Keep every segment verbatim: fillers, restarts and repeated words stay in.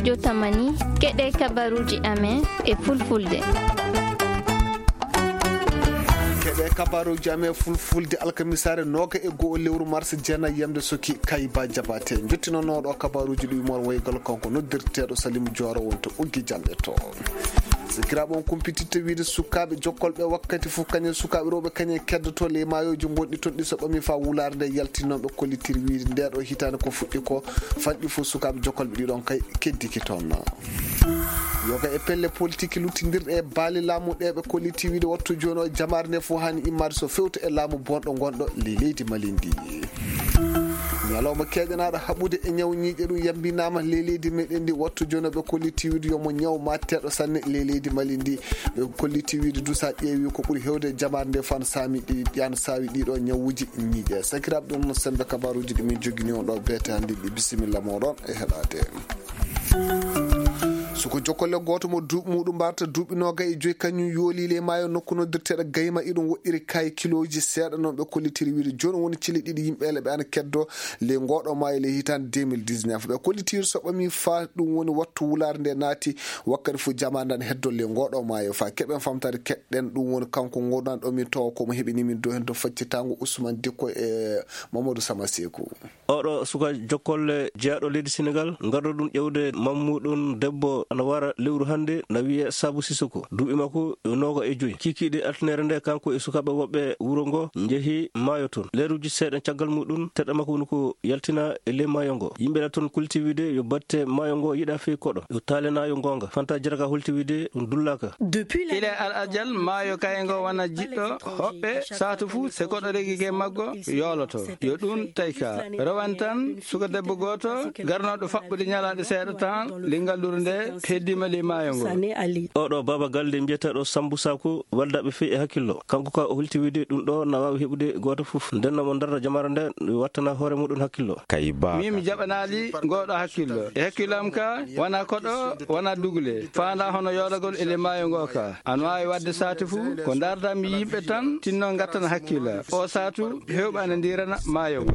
Jotamani, keɗe kabaruji amen e fulfulde. Keɗe kabaruji amen fulfulde alkamisaare nooga e go'o lewru mars jeenayi yamde soki Kayba Jabate. Jottinonoɗo kabaruji ɗi mor waygal kanko noddirteɗo Salim Joro wonto uggi jamɗe to. Sikiraɓe on kumpititta wiide sukaaɓe jokkolɓe wakkati fof kañum sukaaɓe rewɓe kañum keddoto ley maayoji gonɗi toon ɗi so ɓami fa wulaare nde yaltinnoɓe kollitiri wiide nde ɗo hitaande ko fuɗɗi ko fanɗi fof sukaaɓe jokkolɓe ɗiɗon kay keddiki toon. Yoga e pelle politique luttindirɗe e baali laamu ɗe ɓe kolliti wiide wattu jooni o jamaare nde fof hani immaade so fewta e laamu bonɗo gonɗo ley leydi Mali ndi. Ñalawma keeƴanaaɗo haɓude e ñaw ñiiƴe ɗum yambinaama ley leydi meɗen ndi wattu jooni ɓe kolliti wiide yomo ñaw matteɗo sanne ley leydi Mali ndi. Ɓe kolliti wiide du sa ƴeewi ko ɓuri hewde jamaare nde fan saami ɗi yan sawi ɗiɗo ñawuji ñiiƴe sakiraaɓe ɗum no sembe kabaruji ɗi min jogini on ɗo beete hannde ɗi bisimilla moɗon e heɗade. Suko jokolle gooto mo duuɓi muɗum mbarta duuɓi noga e joyi kañum yooli ley maayo nokku noddirteɗo gayma iɗum woɗɗiri kaye kiloji seeɗa noon ɓe kollitiri wiide jooni woni cili ɗiɗi yimɓe ele ɓe ana keddo ley ngoɗo maayo ley hitande deux mille dix-neuf ɓe kollitiri so ɓami fa ɗum woni wattu wulaare nde naati wakkati fof jamaɗan heddo ley ngoɗo maayo fa keɓen famtade keɗɗen ɗum woni kanko ngoɗan ɗo min tawa komo heɓini min dow hen to faccitango Ousmane Dikko e Mamadou Sama Sekou. Oɗo suka jokkolle jeyaɗo leydi Senegal ngarɗo ɗum ƴewde mammuɗum debbo ana wara lewru hannde na wiye Sabu Sisoko duuɓi makko yo nooga e joyi kikiɗe altinere nde kanko e sukaaɓe woɓɓe wuro ngo njehi maayo toon leruji seeɗa caggal muɗum teɗɗa makko woni ko yaltina e ley maayo ngo yimɓe ɗa toon kulti wiide yo batte maayo ngo yiɗa fey koɗo yo taalena yo ngoonga fanta jaraka holti wiide ɗum dullaka. Depuis la Ile Al Ajal maayo kaye ngo wona jiɗɗo hoɓɓe saatu fuu se koɗo regike maggo yooloto yo ɗum tawi ka rowan tan suka debbo gooto garnooɗo faɓɓude ñalaaɗe seeɗa tan ley ngalluru nde heddiima ley maayo ngo. Oɗo baaba galle mbiyeteeɗo Sambu Saku waldaɓe fii e hakkillo kanko ka o holti wiide ɗum ɗo na waawi heɓude gooto fof ndenno mo darra jamara nde wattana hoore muɗum hakkillo. Kay ba min mi jaɓanaali ngoɗo hakkillo e hakkillo am ka wona koɗo wona dugule faanda hono yoolagol e ley maayo ngo ka ana waawi wadde saati fuu ko ndarda mi yimɓe tan tinno ngattana hakkilla o saatu hewɓe ana ndirana maayo ngo.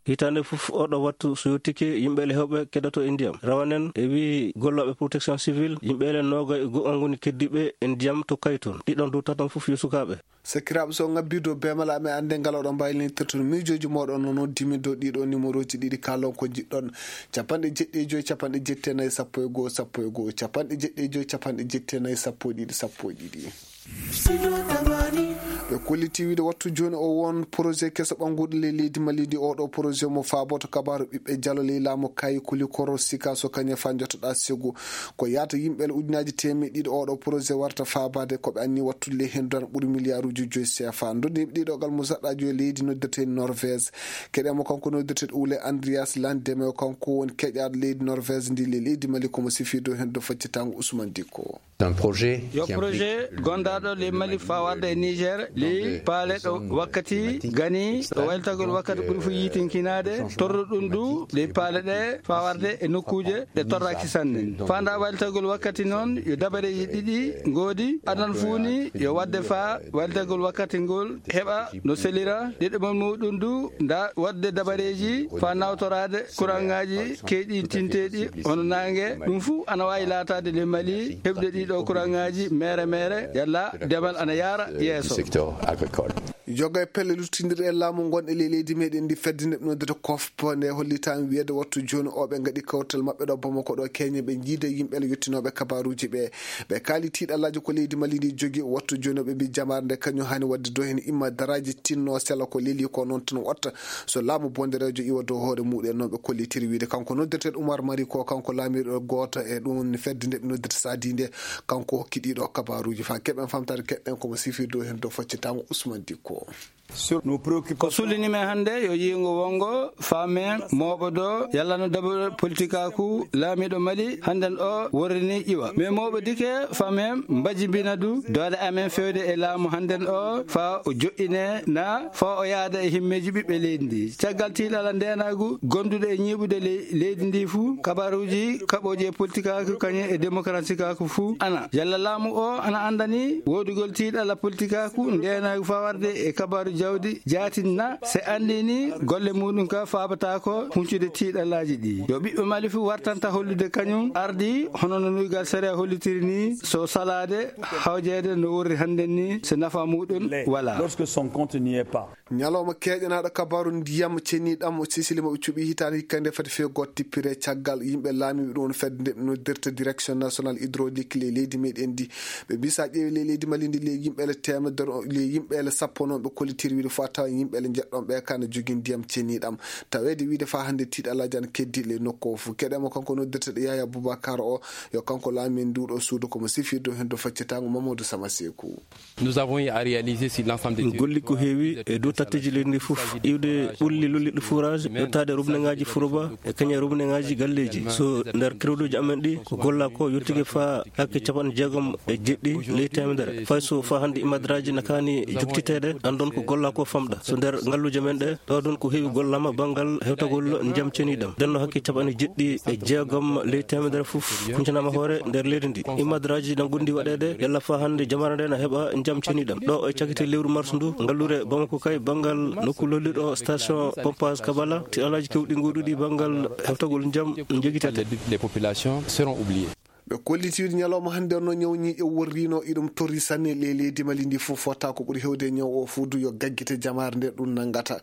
Hitaande fof oɗo wattu so yottike yimɓe ele hewɓe keddoto e ndiyam rawanen e wii gollooɓe protection civile yimɓe ele nooga e go'o ngoni keddiɓe e ndiyam to kayton ɗiɗon dow taton fof yo sukaaɓe. Sakiraaɓe so ngabbi dow beemala amen annde ngal oɗon mbaylinitirton miijooji mooɗon no noddimi dow ɗiɗo numéroji ɗiɗi kalon ko jiɗɗon capanɗe jeɗɗi e joyi capanɗe jetti e nayi sappo e goho sappo e goho capanɗe jeɗɗi e joyi capanɗe jetti e nayi sappo e ɗiɗi sappo e ɗiɗi. Ɓe kolliti wiide wattu jooni o won projet keso ɓannguɗo ley leydi Mali ndi oɗo projet mo faaboto kabaaru ɓiɓɓe jalo ley laamu kayi kulikoro sika so kañe fa jottoɗa segu ko yahata yimɓe ele ujunaaji teemeɗɗe ɗiɗi oɗo projet warta faabaade ko ɓe anni wattude ley heen dona ɓuri miliyaaruuji joyi C F A ndondiiɓe ɗiɗo gal musaɗɗaajo e leydi noddirtee Norvège keɗe mo kanko noddirtee Ole Andreas Landeme kanko woni keƴaaɗo leydi Norvège ndi ley leydi Mali komo sifii dow heen dow faccitango Ousmane Dikko. Yo projet gondaaɗo ley Mali fawarde e Niger ley paale ɗo wakkati gani ɗo waylatagol wakkati ɓuri fof yitinkinaade torruɗum du ley paale ɗe fawarde e nokkuuje ɗe torraki sanne. Fanda walitagol wakkati noon yo dabareeji ɗiɗi ngoodi adan fuuni yo wadde faa walitagol wakkati ngol heɓa no selira ɗiɗo mon muɗum du nda wadde dabareeji faa nawtoraade kuraŋŋaaji keyɗintinteeɗi hono naange ɗum fuu ana waawi laataade le Mali heɓde ɗiɗo kuraŋŋaaji meere meere yalla demal ana yaara yeeso. Joga e pelle luttindirɗe e laamu ngon e ley leydi meɗen ndi fedde nde ɓe noddata kofpo nde hollitaama wiyeede wattu jooni o ɓe ngaɗi kawtal maɓɓe ɗo Bamako ɗo keñe ɓe jiide yimɓe le yettinooɓe kabaruuji ɓe ɓe kaali tiiɗallaaji ko leydi Mali ndi jogi wattu jooni o ɓe mbi jamaare nde kañum haani waɗde do heen imma daraaji tinno sela ko leli ko noon tan watta so laamu bondereejo iwa dow hoore muɗum noon ɓe kollitiri wiide kanko noddirteeɗo Umar Mari ko kanko laamiiɗo gooto e ɗum fedde nde ɓe noddirta Sadi nde kanko hokki ɗiɗo kabaruuji faa keɓen famtaade keɗɗen komo sifii dow heen dow faccitango Ousmane Dikko. Ko sullini men hannde yo yiingo wonngo faamen mooɓodo yalla no dabareeji politikaaku laamiiɗo Mali hannden o worrini ƴiwa. Men mooɓodike faamen mbajimbina du doole amen feewde e laamu hannden o faa o joɗɗine na faa o yaada e himmeeji ɓiɓɓe leydi ndi. Caggal tiiɗalla ndeenaagu gonduɗo e ñiiɓude ley leydi ndi fuu kabaruuji kaɓooji e politikaaku kañum e demokaraasikaaku fuu ana yalla laamu o ana anndani woodugol tiiɗalla politikaaku ndeenaagu faa warde e kabaruuji Jawdi jaatinna se anndini golle muɗum ka faabata ko huncude tiiɗallaaji ɗi. Yo ɓiɓɓe Mali fuu wartanta hollude kañum ardi, hono no nuygal sariya hollitiri ni, so salaade hawjeede no worri hannden ni, se nafa muɗum wala. Lorsque son compte n'y est pas. Ñalawma keeƴanaaɗo kabaaru ndiyam ceniiɗam o Sisili mo ɓe cuɓi hitaande hikka nde fati few gooto tippire caggal yimɓe laamiiɓe ɗum woni fedde nde ɓe noddirta Direction Nationale Hydraulique ley leydi meɗen ndi. Ɓe mbii so a ƴeewi ley leydi Mali ndi, ley yimɓe ele teemedere, ley yimɓe ele sappo noon ɓe kollitiri wiide fo a tawa yimɓe ele njeɗɗon ɓe ka ne jogii ndiyam ceniiɗam. Taweede wiide faa hannde tiiɗalaaji ana keddi ley nokku o fof. Keɗen mo kanko noddirteeɗo Yaya Boubacar o, yo kanko laamiiɗo nduuɗo suudu ko mo sifirde heen dow faccitaango Mamadou Sama Seeku. Nous avons eu à réaliser sur l'ensemble des Min golli ko heewi e dow tatteeji leydi ndi fof, iwde ɓulli lolliɗi forage, yottaade robineŋaaji Furuba e kañum e robineŋaaji galleeji. So nder créditeuji amen ɗi, ko gollaa ko yottike faa hakke capanɗe jeegom e jeɗɗi ley teemedere. Fay so faa hannde imadraaji na kaani jokkiteede, anndon ko gollaa ko famɗa. So nder ngalluuje men ɗe, ɗo ɗon ko heewi gollaama banngal hewtagol ndiyam ceniiɗam. Nden no hakke capanɗe jeɗɗi e jeegom ley teemedere fof huncanaama hoore nder leydi ndi. Imadraaji na ngondi waɗeede yalla faa hannde jamaare nde na heɓa ndiyam ceniiɗam. Ɗo e cakite lewru mars ndu, ngallure Bamako kay banngal nokku lolliɗo station pompage Kabala, tiiɗalaaji kewɗi ngoɗuɗi banngal hewtagol ndiyam njogitete. Les populations seront oubliées. Ɓe kolliti wiide ñalawma hannde no ñaw ñiiƴe worriino, iɗum torri sanne ley leydi Mali ndi fof. Fota ko ɓuri heewde ñaw o fof du yo gaggite jamaare nde ɗum nanngata.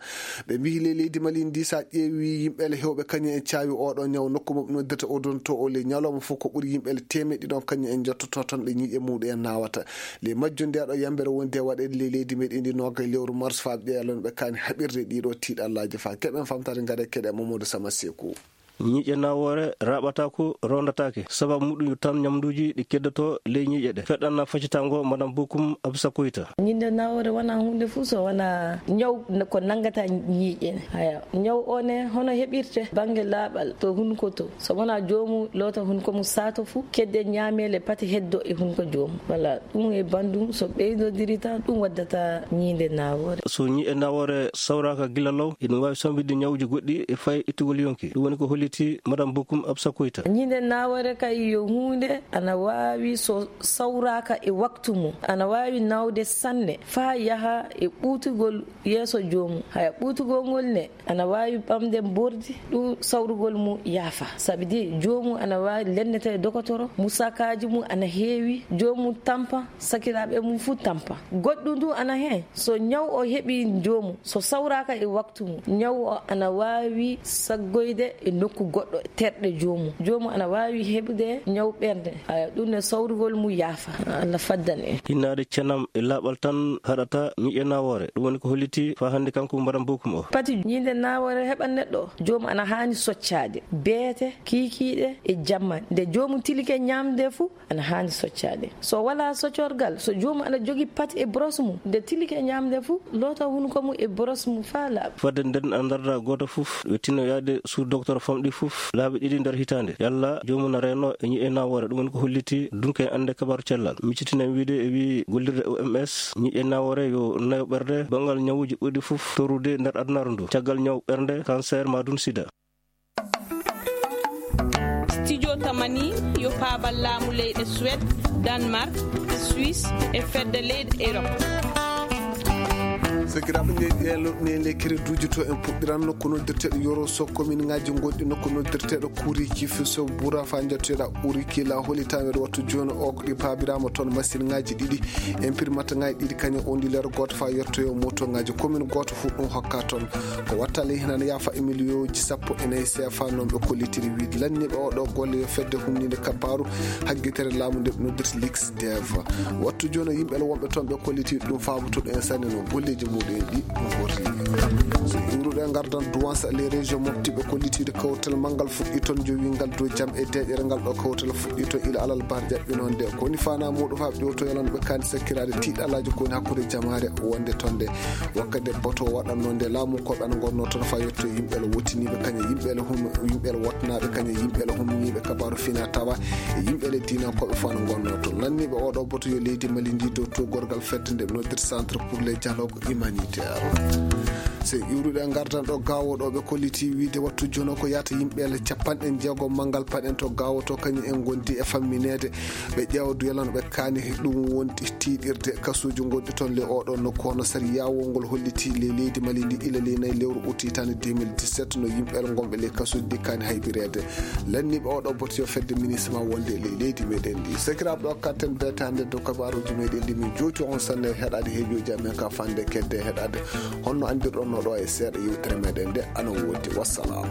Ɓe mbii ley leydi Mali ndi, so a ƴeewi yimɓe ele heewɓe kañum en caawi oɗo ñaw. Nokku mo ɓe noddata odonto o, ley ñalawma fof ko ɓuri yimɓe ele teemeɗɗe ɗiɗi kañum en njottoto toon ɗe ñiiƴe muɗum en naawata. Ley majjum nde ɗo yambere woni de waɗeede ley leydi meɗen ndi noogay lewru mars faa ɓe ƴeewa lan ɓe kaani haɓirde ɗiɗo tiiɗallaaji faa keɓen famtaade ngare keɗe Mamadou Sama Seeku. Ñiiƴe nawoore raaɓataako, rondataake. Sababu muɗum yo tan ñamnduuji ɗi keddoto ley ñiiƴe ɗe. Feɗɗan na faccitango Madame Bokum Absa Koyta. Ñiiƴe nawoore wona huunde fof so wona ñaw ko nanngata ñiiƴe. Haya, ñaw o ne hono heɓirte bannge laaɓal to hunko to. So wona joomu loota hunko mum saato fof, kedde ñaameele pati heddo e hunko joomu. Wala ɗum e banndum so ɓeydodiri tan, ɗum waddata ñiiƴe nawoore. So ñiiƴe nawoore sawraaka gila law, ina waawi sambude ñawuuji goɗɗi e fay ittugol yonki. Ɗum woni ko holliti Madame Bokum Absa Koyta. Ñiiƴe nawoore kay yo huunde ana waawi so sawraaka e waktu mum, ana waawi nawde sanne faa yaha e ɓuutugol yeeso joomum. Haya ɓuutugol ngol ne ana waawi ɓamde mbordi, ɗum sawrugol mum yaafa. Sabi de joomum ana waawi lennete e dokotoro, musakaaji mum ana heewi, joomum tampa, sakiraaɓe mum fuu tampa. Goɗɗum du ana heen, so ñaw o heɓii joomum, so sawraaka e waktu mum, ñaw o ana waawi saggoyde e nokku goɗɗo terɗe joomum. Joomum ana waawi heɓude ñaw ɓernde. Haya, ɗum ne sawrugol mum yaafa. Allah faddan en. Hinnaade cenam e laaɓal tan haɗata ñiiƴe nawoore. Ɗum woni ko holliti faa hannde kanko Madame Bokum o. Pati ñiiƴe nawoore heɓan neɗɗo, joomum ana haani soccaade beete, kiikiiɗe e jamma. Nde joomum tilike ñaamde fuu, ana haani soccaade. So walaa soccorgal, so joomum ana jogii pati e boros mum, nde tilike ñaamde fuu, loota hunko mum e boros mum faa laaɓa. Fadde nden ana darda gooto fof, wettino yaade sous docteur famɗi fof laabi ɗiɗi nder hitaande. Yalla joomum na reeno e ñiiƴe nawoore, ɗum woni ko holliti dunke annde kabaaru cellal. Miccitinen wiide e wii gollirde O M S, ñiiƴe nawoore yo nayo ɓerde banngal ñawuuji ɓurɗi fof torrude nder adunaaru ndu. Caggal ñaw ɓernde, cancer, maa dun sida. Studio Tamani yo paabal laamu leyɗe Suède, Danemark, Suisse e fedde leyɗe Europe. Sakiraaɓe, nde ɗen loɗɗinee nde kereduuji to en puɗɗiran nokku noddirteeɗo Yoro Sow, komin ŋaaji gonɗi nokku noddirteeɗo Kuriki Fiso Bura faa njottoɗaa Uriki la holi taweede wattu jooni o ko ɗi paabiraama toon masiŋaaji ɗiɗi, imprimante ŋaaji ɗiɗi kañum onduleur gooto faa yettoyo motoŋaaji komin gooto fof ɗum hokka toon. Ko wattale heen ana yaafa e miliyooji sappo e nayi C F A noon ɓe kollitiri wiide lanniiɓe oɗo golle yo fedde humniinde kabbaaru haggitere laamu nde ɓe noddirta Lix Dev. Wattu jooni yimɓe wonɓe toon ɓe kolliti ɗum faabotoɗo en sanne no golleeji muɗum en ɗi ɗum worri. So iwruɗo e ngardan Douance les régions Mopti ɓe kollitiiɗo kawtal manngal fuɗɗi toon jowingal dow jam e deeƴere ngal ɗo kawtal fuɗɗi toon ila alal bar jaɓɓinoonde. Ko woni faanaa muɗum faa ƴewto yalano ɓe kaani sakkiraade tiiɗalaaji ko woni hakkunde jamaare wonde toon nde. Wakkati bato waɗanno nde laamu ko ɓe ana ngonnoo toon faa yetto yimɓe ele wottiniiɓe kañum yimɓe ele hum yimɓe ele wottanaaɓe kañum yimɓe ele humniiɓe kabaaru fina tawa e yimɓe ele diinankooɓe fof ana ngonnoo toon. Lanniiɓe oɗo bato yo leydi Mali ndi dow to gorgal fedde nde ɓe noddirta Centre pour le dialogue humanitaire. Sey iwruɗe ngardan ɗo gaawo ɗo ɓe kolliti wiide wattu jono ko yaata yimɓe le capanɗe jeego manngal paɗen to gaawo to kañum en ngondi e fammineede. Ɓe ƴeewa duyalano ɓe kaani ɗum wonti tiiɗirde kasuuji gonɗi toon le oɗo nokku hono sariya wongol holliti le leydi mali ndi ila le nayi lewru uti tan deux mille dix-sept no yimɓe le gonɓe le kasuuji ɗi kaani haybireede. Lanniiɓe oɗo boti yo fedde ministre ma wonde le leydi meɗen ndi sakiraaɓe ɗo katten betaande dow kabaruuji meɗen ndi min jooti on sanne heɗaade heejoji amen ka fande kedde heɗaade. Honno anndirɗon no ɗo e seeɗa yewtere meɗen nde ana woodi. Wassalam.